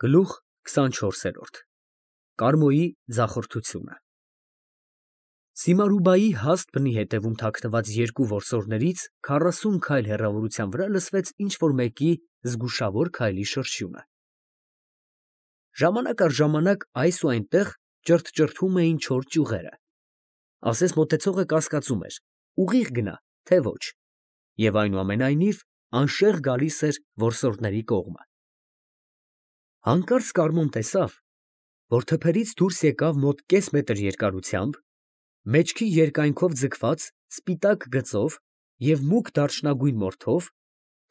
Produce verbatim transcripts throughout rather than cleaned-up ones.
Գլուխ քսանչորսերորդ Կարմոյի ձախորդությունը Սիմարուբայի հաստ բնի հետևում թաքնված երկու որսորդներից քառասուն քայլ հեռավորության վրա լսվեց ինչ֊որ մեկի զգուշավոր քայլի շրշյունը. ժամանակ առ ժամանակ այս ու այնտեղ ճրթճրթում էին չոր ճյուղերը, ասես մոտեցողը կասկածում էր, ուղիղ գնա, թե ոչ, և այնուամենայնիվ անշեղ գալիս էր որսորդների կողմը։ Հանկարծ Կարմոն տեսավ, որ թփերից դուրս եկավ մոտ կես մետր երկարությամբ, մեջքի երկայնքով ձգված սպիտակ գծով և մուգ դարչնագույն մորթով,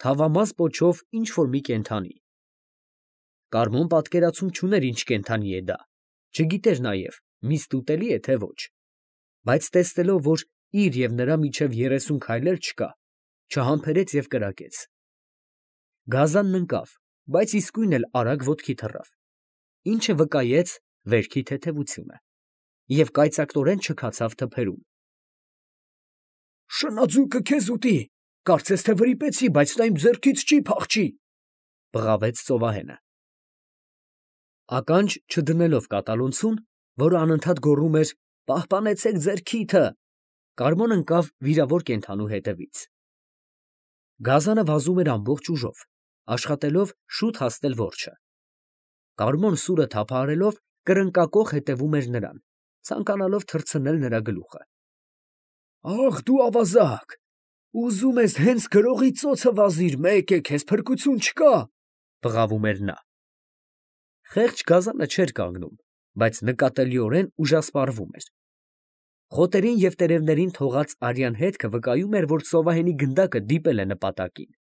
թավամաս պոչով ինչ֊որ մի կենդանի։ Կարմոն պատկերացում չուներ ինչ կենդանի է դա, չգիտեր նաև միստ ուտելի է, թե ոչ, բայց տեսնելով, որ իր և նրա միջև երեսուն քայլ էլ չկա, չհամբերեց և կրակեց։ Գազանն ընկավ, բայց իսկույն էլ արագ ոտքի թռավ, ինչը վկայեց վերքի թեթևությունը, և կայծակնորեն չքացավ թփերում։ «Շնաձուկը քեզ ուտի, կարծես թե վրիպեցի, բայց նա իմ ձեռքից չի փախչի», ֊ բղավեց ծովահենը։ Ականջ չդնելով կատալոնցուն, որը անընդհատ գոռում էր «Պահպանեցեք ձեր քիթը», Կարմոն ընկավ վիրավոր կենդանու հետևից։ Գազանը վազում էր ամբողջ ուժով, աշխատելով շուտ հասնել որջը։ Կարմոն սուրը թափահարելով կրնկակոխ հետևում էր նրան, ցանկանալով թռցնել նրա գլուխը։ «Ախ դու ավազակ, ուզում ես հենց գրողի ծոցը վազիր, մեկ է, քեզ փրկություն չկա», ֊ բղավում էր նա։ Խեղճ գազանը չէր կանգնում, բայց նկատելիորեն ուժասպառվում էր։ Խոտերին և տերևներին թողած արյան հետքը վկայում էր, որ ծովահենի գնդակը դիպել է նպատակին։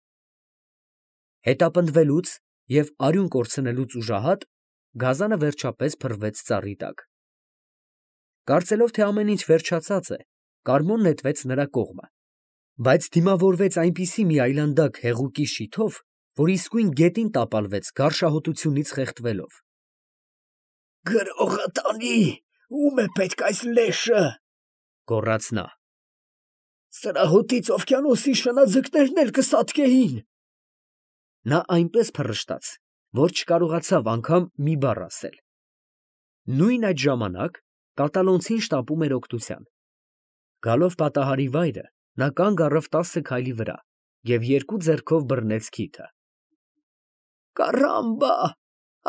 Հետապնդվելուց և արյուն կորցնելուց ուժահատ, գազանը վերջապես փռվեց ծառի տակ։ Կարծելով, թե ամեն ինչ վերջացած է, Կարմոն նետվեց նրա կողմը, բայց դիմավորվեց այնպիսի մի այլանդակ հեղուկի շիթով, որ իսկույն գետին տապալվեց գարշահոտությունից խեղդվելով։ «Գրողը տանի, ո՞ւմ է պետք այս լեշը», ֊ գոռաց նա։ «Սրահոտից օվկիանոսի շնաձկներն էլ կսատկեին»։ Նա այնպես փռշտաց, որ չկարողացավ անգամ մի բառ ասել։ Նույն այդ ժամանակ կատալոնցին շտապում էր օգնության։ Գալով պատահարի վայրը, նա կանգ առավ տասը քայլի վրա և երկու ձեռքով բռնեց քիթը։ «Կարամբա,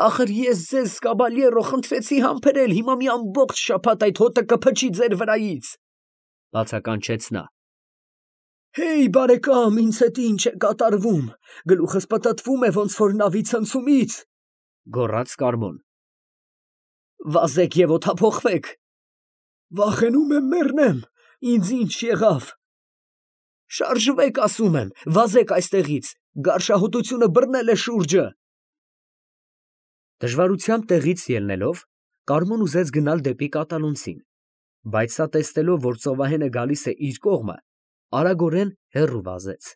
ախր ես ձեզ, կաբալյերո, խնդրեցի համբերել, հիմա մի ամբողջ շաբաթ այդ հոտը կփչի ձեր վրայից», ֊ բացականչեց նա։ «Հեյ, բարեկամ, ինձ հետ ինչ է կատարվում, գլուխս պտտվում է ոնց որ նավի ցնցումից», ֊ գոռաց Կարմոն։ «Վազեք և օդափոխվեք»։ «Վախենում եմ մեռնեմ, ինձ ինչ եղավ»։ «Շարժվեք, ասում եմ, վազեք այստեղից, գարշահոտությունը բռնել է շուրջը»։ Դժվարությամբ տեղից ելնելով, Կարմոն ուզեց գնալ դեպի կատալոնցին, բայց սա տեսնելով, որ ծովահենը գալիս է իր կողմը, արագորեն հեռու վազեց։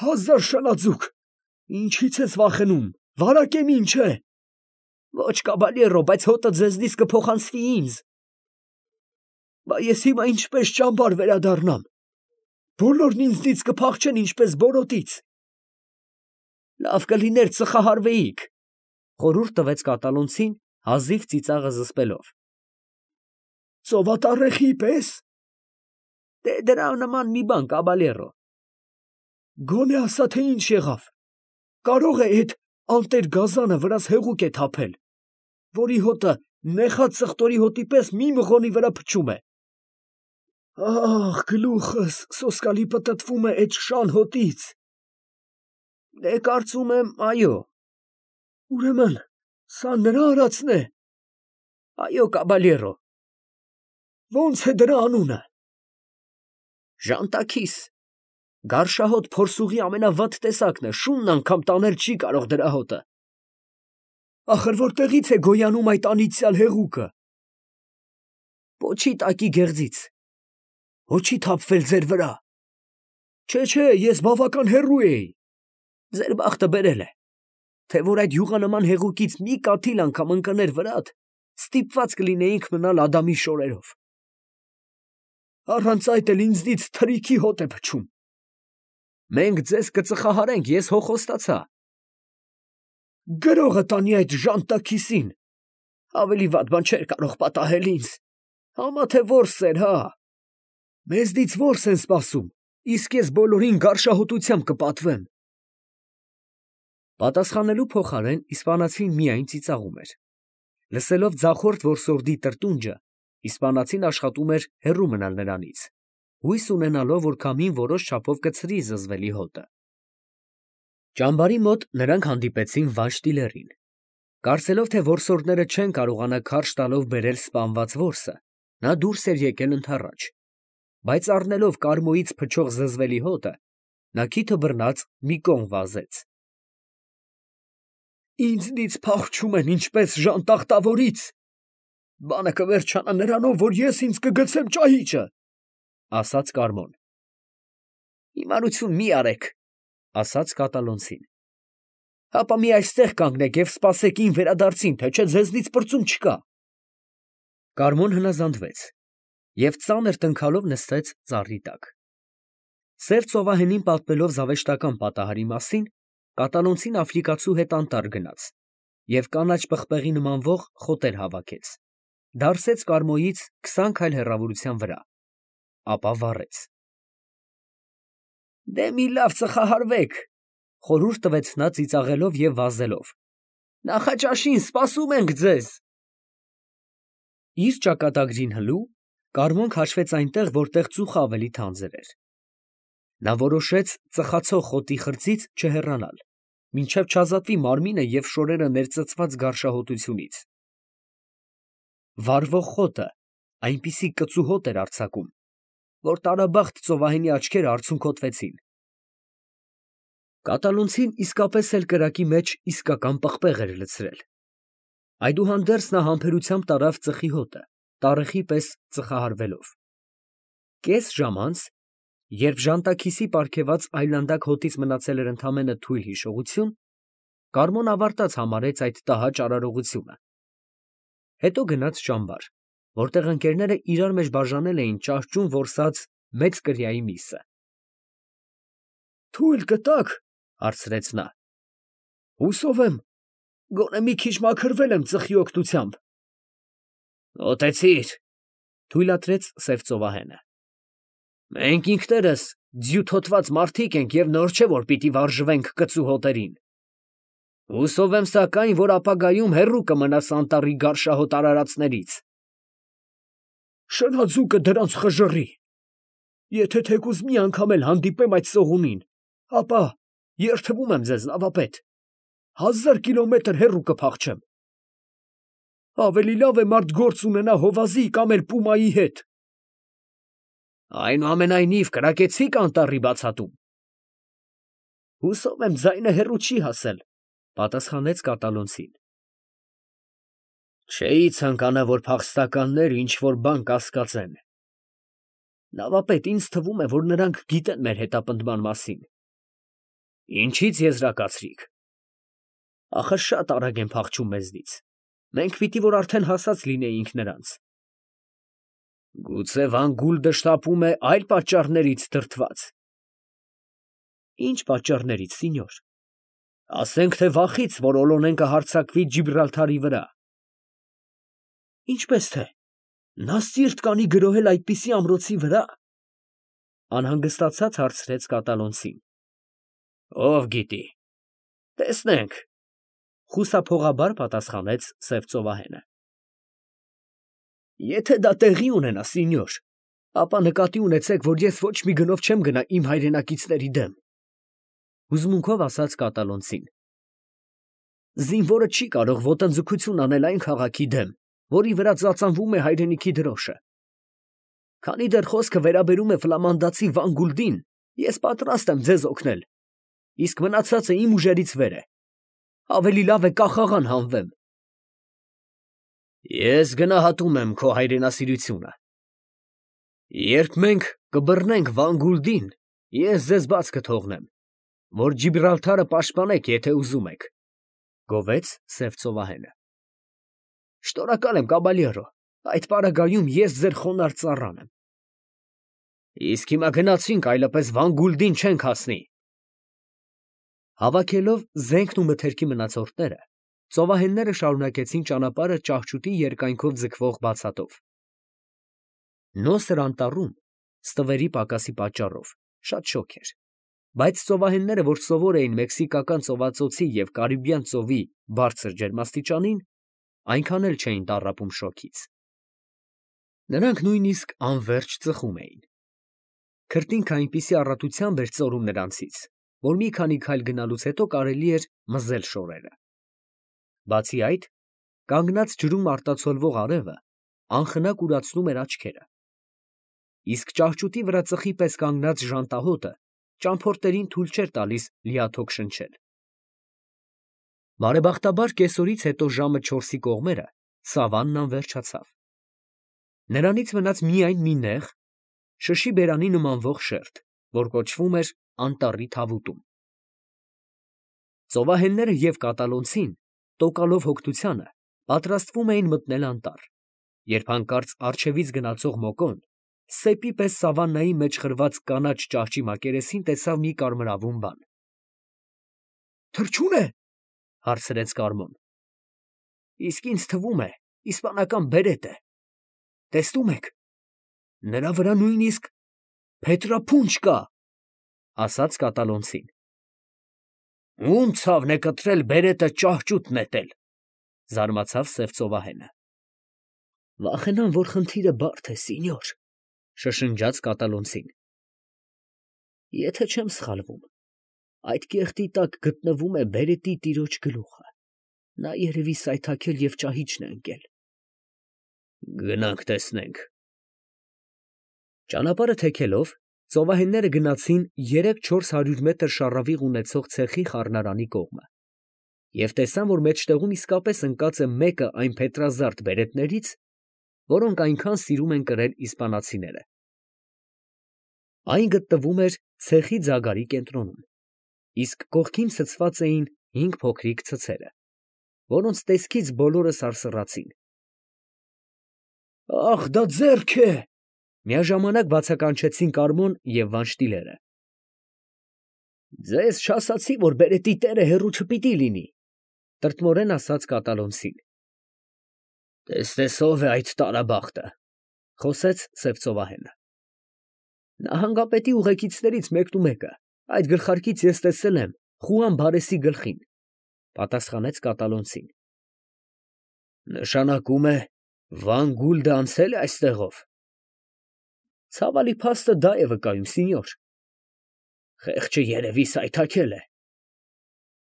«Հազար շնաձուկ, ինչի՞ց ես վախենում, վարակ եմ ինչ է»։ «Ոչ, կաբալյերո, բայց հոտը ձեզնից կփոխանցվի ինձ»։ «Բա ես հիմա ինչպես ճամբար վերադառնամ, բոլորն ինձնից կփախչեն ինչպես բորոտից»։ «Լավ կլիներ ծխահարվեիք», ֊ խորհուրդ տվեց կատալոնցին, հազիվ ծիծաղը զսպելով։ «Ծովատառեխի պես»։ «Դե դրա նման մի բան, կաբալյերո»։ «Գոնե ասա, թե ինչ եղավ, կարող է էդ անտեր գազանը վրաս հեղուկ է թափել, որի հոտը նեխած ծխտորի հոտի պես մի մղոնի վրա փչում է»։ «Ախ, գլուխս սոսկալի պտտվում է էդ շան հոտից»։ «Դե կարծում եմ, այո»։ «Ուրեմն սա նրա արածն է»։ «Այո, կաբալյերո»։ «Ո՞նց է դրա անունը»։ «Ժանտաքիս, գարշահոտ փորսուղի ամենավատ տեսակն է, շունն անգամ տանել չի կարող դրա հոտը»։ «Ախր որտեղի՞ց է գոյանում այդ անիծյալ հեղուկը»։ «Պոչի տակի գեղձից»։ «Հո չի թափվել ձեր վրա»։ «Չէ, չէ, ես բավական հեռու էի»։ «Ձեր բախտը բերել է, թե որ այդ յուղանման հեղուկից մի կաթիլ անգամ ընկներ վրադ, ստիպված կլինեինք մնալ Ադամի շորերով»։ «Առանց այդ էլ ինձնից թրիքի հոտ է փչում»։ «Մենք ձեզ կծխահարենք, ես հո խոստացա»։ Գրողը տանի այդ ժանտաքիսին, ավելի վատ բան չէր կարող պատահել ինձ, համա թե որս էր, հա, մեզնից որս են սպասում, իսկ ես բոլորին գարշահոտությամբ կպատվեմ։ Պատասխանելու փոխարեն իսպանացին միայն ծիծաղում էր։ Լսելով ձախորդ որսորդի տրտունջը, իսպանացին աշխատում էր հեռու մնալ նրանից, հույս ունենալով, որ քամին որոշ չափով կցրի զզվելի հոտը։ Ճամբարի մոտ նրանք հանդիպեցին Վայրշտիլերին։ Կարծելով, թե որսորդները չեն կարողանա քարշ տալով բերել սպանված որսը, նա դուրս էր եկել ընդառաջ, բայց առնելով կարմոյից փչող զզվելի հոտը, նա քիթը բռնած մի կողմ վազեց։ Ինձնից փախչում են ինչպես ժանտախտավորից, բանը կվերջանա նրանով, որ ես ինձ կգցեմ ճահիճը, ասաց Կարմոն։ Հիմարություն մի արեք, ասաց կատալոնցին։ Հապա մի այստեղ կանգնեք և սպասեք իմ վերադարձին, թե չէ ձեզնից պրծում չկա։ Կարմոն հնազանդվեց և ծանր տնքալով նստեց ծառի տակ։ Սև ծովահենին պատմելով զավեշտական պատահարի մասին, կատալոնցին աֆրիկացու հետ անտառ գնաց և կանաչ պղպեղի նմանվող խոտեր հավաքեց, դարսեց Կարմոյից քսան քայլ հեռավորության վրա, ապա վառեց։ Դե մի լավ ծխահարվեք, խորհուրդ տվեց նա ծիծաղելով և վազելով, նախաճաշին սպասում ենք ձեզ։ Իր ճակատագրին հլու, Կարմոն քաշվեց այնտեղ, որտեղ ծուխը ավելի թանձր էր։ Նա որոշեց ծխացող խոտի խրձից չհեռանալ, մինչև չազատվի մարմինը և շորերը ներծծված գարշահոտությունից։ Վառվող խոտը այնպիսի կծու հոտ էր արձակում, որ տարաբախտ ծովահենի աչքերը արցունքոտվեցին։ Կատալոնցին իսկապես էլ կրակի մեջ իսկական պղպեղ էր լցրել։ Այդուհանդերձ նա համբերությամբ տարավ ծխի հոտը, տառեխի պես ծխահարվելով։ Կես ժամ անց, երբ ժանտաքիսի պարգևած այլանդակ հոտից մնացել էր ընդամենը թույլ հիշողություն, Կարմոն ավարտած համարեց այդ տհաճ արարողությունը։ Հետո գնաց ճամբար, որտեղ ընկերները իրար մեջ բաժանել էին ճահճուն որսած մեծ կրիայի միսը։ Թույլ կտա՞ք, հարցրեց նա։ Հուսով եմ, գոնե մի քիչ մաքրվել եմ ծխի օգնությամբ։ Մոտեցիր, թույլատրեց սև ծովահենը։ Մենք ինքներս ձիուտ հոտված մարդիկ ենք և նոր չէ, որ պիտի վարժվենք կծու հոտերին։ Հուսով եմ սակայն, որ ապագայում հեռու կմնաս անտառի գարշահոտ արարածներից։ Շնաձուկը դրանց խժռի։ Եթե թեկուզ մի անգամ էլ հանդիպեմ այդ սողունին, ապա երդվում եմ ձեզ, նավապետ, հազար կիլոմետր հեռու կփախչեմ։ Ավելի լավ է մարդ գործ ունենա հովազի կամ էլ պումայի հետ։ Այնուամենայնիվ կրակեցի՞ք անտառի բացատում։ Հուսով եմ ձայնը հեռու չի հասել, պատասխանեց կատալոնցին։ Չէի ցանկանա, որ փախստականներ ինչ-որ բան կասկածեն։ Նավապետ, ինձ թվում է, որ նրանք գիտեն մեր հետապնդման մասին։ Ինչից եզրակացրիք։ Ախր շատ արագ են փախչում մեզնից։ Մենք պիտի որ արդեն հասած լինեինք նրանց։ Գուցե Վան-Գուլդը շտապում է այլ պատճառներից դրդված։ Ինչ պատճառներից, սինյոր։ Ասենք թե վախից, որ Օլոնեն կհարձակվի Ջիբրալթարի վրա։ Ինչպես թե, նա սիրտ կանի գրոհել այդպիսի ամրոցի վրա։ Անհանգստացած հարցրեց կատալոնցին։ Ով գիտի։ Տեսնենք, խուսափողաբար պատասխանեց սև ծովահենը։ Եթե դա տեղի ունենա, սինյոր, ապա նկատի ունեցեք, որ ես ոչ մի գնով չեմ գնա իմ հայրենակիցների դեմ, հուզմունքով ասաց կատալոնցին։ Զինվորը չի կարող ոտնձգություն անել այն քաղաքի դեմ, որի վրա ծածանվում է հայրենիքի դրոշը։ Քանի դեռ խոսքը վերաբերում է ֆլամանդացի Վան-Գուլդին, ես պատրաստ եմ ձեզ օգնել, իսկ մնացածը իմ ուժերից վեր է։ Ավելի լավ է կախաղան հանվեմ։ Ես գնահատում եմ քո հայրենասիրությունը։ Երբ մենք կբռնենք Վան-Գուլդին, ես ձեզ բաց կթողնեմ, որ Ջիբրալթարը պաշտպանեք, եթե ուզում եք, գովեց սև ծովահենը։ Շնորհակալ եմ, կաբալյերո, այդ պարագայում ես ձեր խոնարհ ծառան եմ։ Իսկ հիմա գնացինք, այլապես Վան-Գուլդին չենք հասնի։ Հավաքելով զենքն ու մթերքի մնացորդները, ծովահենները շարունակեցին ճանապարհը ճահճուտի երկայնքով ձգվող բացատով։ Նոսր անտառում, ստվերի պակասի պատճառով, շատ շոգ էր, բայց ծովահենները, որ սովոր էին Մեքսիկական ծովածոցի և Կարիբյան ծովի բարձր ջերմաստիճանին, այնքան էլ չէին տառապում շոգից։ Նրանք նույնիսկ անվերջ ծխում էին։ Քրտինքը այնպիսի առատությամբ էր ծորում նրանցից, որ մի քանի քայլ գնալուց հետո կարելի էր մզել շորերը։ Բացի այդ, կանգնած ջրում արտացոլվող արևը անխնա կուրացնում էր աչքերը, իսկ ճահճուտի վրա ծխի պես կանգնած ժանտահոտը ճամփորդերին թույլ չէր տալիս լիաթոք շնչել։ Բարեբախտաբար կեսօրից հետո ժամը չորսի կողմերը սավաննան վերջացավ։ Նրանից մնաց միայն մի նեղ, շշի բերանի նմանվող շերտ, որ կոչվում էր Անտառի թավուտում։ Ծովահենները և կատալոնցին, տոկալով հոգնությանը, պատրաստվում էին մտնել անտառ, երբ հանկարծ առջևից գնացող մոկոն սեպի պես սավաննայի մեջ խրված կանաչ ճահճի մակերեսին տեսավ մի կարմրավուն բան։ ֊ Թռչո՞ւն է, ֊ հարցրեց Կարմոն։ ֊ Իսկ ինձ թվում է իսպանական բերետ է. տեսնում եք, նրա վրա նույնիսկ փետրափունջ կա, ֊ ասաց կատալոնցին։ ֊ Ո՞ւմ ցավն է կտրել բերետը ճահճուտ նետել, ֊ զարմացավ սև ծովահենը։ ֊ Վախենամ, որ խնդիրը բարդ է, սինյոր, ֊ շշնջաց կատալոնցին։ ֊ Եթե չեմ սխալվում, այդ կեղտի տակ գտնվում է բերետի տիրոջ գլուխը. նա երևի սայթաքել և ճահիճն է ընկել։ ֊ Գնանք տեսնենք։ Ճանապարհը թեքելով, ծովահենները գնացին երեք֊չորս հարյուր մետր շառավիղ ունեցող ցեխի խառնարանի կողմը և տեսան, որ մեջտեղում իսկապես ընկած է մեկը այն փետրազարդ բերետներից, որոնք այնքան սիրում են կրել իսպանացիները։ Այն գտնվում էր ցեխի ձագարի կենտրոնում, իսկ կողքին ցցված էին հինգ փոքրիկ ցցերը, որոնց տեսքից բոլորը սարսռացին։ ֊ Ա՜խ, դա ձեռք է, ֊ միաժամանակ բացականչեցին Կարմոն և Վանշտիլերը։ ֊ Ձեզ չասացի, որ բերետի տերը հեռու չպիտի լինի, ֊ տրտմորեն ասաց կատալոնցին։ ֊ Տեսնես ով է այդ տարաբախտը, ֊ խոսեց սև ծովահենը։ ֊ Նահանգապետի ուղեկիցներից մեկնումեկը, այդ գլխարկից ես տեսել եմ Խուան Բարեսի գլխին, ֊ պատասխանեց կատալոնցին։ ֊ Նշանակում է Վան Գուլդը անցել է այստեղով։ ֊ Ցավալի փաստը դա է վկայում, սինյոր։ ֊ Խեղճը երևի սայթաքել է։ ֊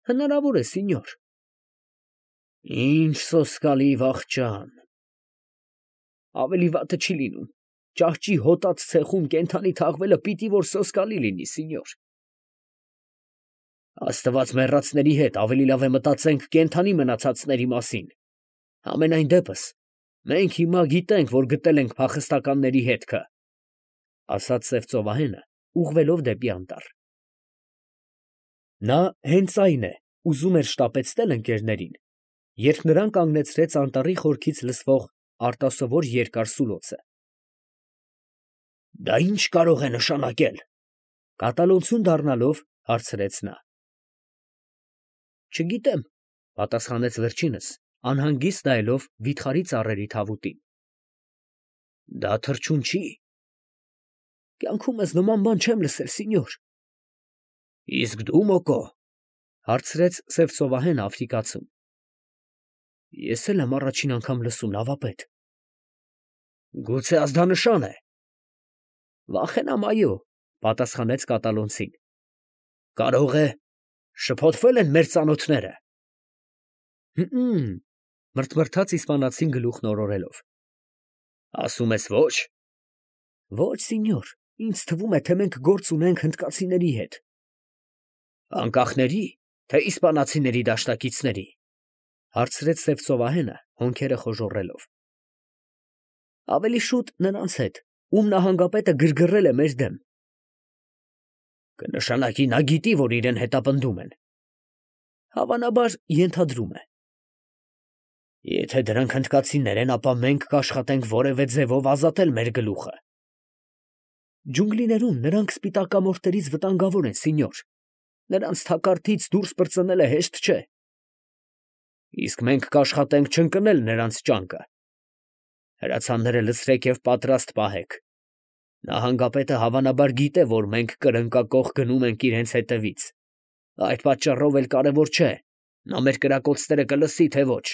Հնարավոր է, սինյոր։ ֊ Ինչ սոսկալի վախճան։ ֊ Ավելի վատը չի լինում, ճահճի հոտած ցեխում կենդանի թաղվելը պիտի որ սոսկալի լինի, սինյոր։ ֊ Աստված մեռածների հետ, ավելի լավ է մտածենք կենդանի մնացածների մասին։ Համենայն դեպս, մենք հիմա գիտենք, որ գտել ենք փախստականների հետքը, ֊ ասաց սև ծովահենը, ուղղվելով դեպի անտառ։ Նա հենց այն է ուզում էր շտապեցնել ընկերներին, երբ նրան կանգնեցրեց անտառի խորքից լսվող արտասովոր երկար սուլոցը։ ֊ Դա ի՞նչ կարող է նշանակել, ֊ կատալոնցուն դառնալով հարցրեց նա։ ֊ Չգիտեմ, ֊ պատասխանեց վերջինս, անհանգիստ նայելով վիթխարի ծառերի թավուտին։ ֊ Դա թռչուն չի։ ֊ Կյանքումս նման բան չեմ լսել, սինյոր։ ֊ Իսկ դու, Մոկո, ֊ հարցրեց սև ծովահենը աֆրիկացուն։ ֊ Ես էլ եմ առաջին անգամ լսում, նավապետ։ ֊ Գուցե ազդանշան է։ ֊ Վախենամ, այո, ֊ պատասխանեց կատալոնցին։ ֊ Կարող է շփոթվել են մեր ծանոթները։ ֊ Հըմ, ֊ մրթմրթաց իսպանացին գլուխն օրորելով։ ֊ Ասում ես ոչ։ ֊ Ոչ, սինյոր, ինձ թվում է, թե մենք գործ ունենք հնդկացիների հետ։ ֊ Անկախների, թե իսպանացիների դաշնակիցների, ֊ հարցրեց սև ծովահենը, հոնքերը խոժոռելով։ ֊ Ավելի շուտ նրանց հետ, ում նահանգապետը գրգռել է մեր դեմ։ ֊ Կնշանակի նա գիտի, որ իրեն հետապնդում են։ ֊ Հավանաբար ենթադրում է։ ֊ Եթե դրանք հնդկացիներ են, ապա մենք կաշխատենք որևէ ձևով ազատել մեր գլուխը։ ֊ Ջունգլիներում նրանք սպիտակամորթերից վտանգավոր են, սինյոր, նրանց թակարդից դուրս պրծնելը հեշտ չէ։ Իսկ մենք կաշխատենք չընկնել նրանց ճանկը։ Հրացանները լցրեք և պատրաստ պահեք։ Նահանգապետը հավանաբար գիտե, որ մենք կրնկակոխ գնում ենք իրենց հետևից, այդ պատճառով էլ կարևոր չէ, նա մեր կրակոցները կլսի, թե ոչ։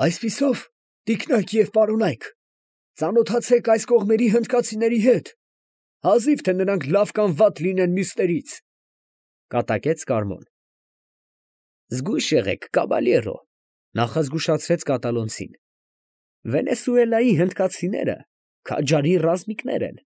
Այսպիսով, տիկնայք և պարոնայք, ծանոթացեք այս կողմերի հնդկացիների հետ, հազիվ թե նրանք լավ կամ վատ լինեն մյուսներից, ֊ կատակեց Կարմոն։ Զգույշ եղեք, կաբալյերո, ֊ նախազգուշացրեց կատալոնցին. Վենեսուելայի հնդկացիները քաջարի ռազմիկներ են։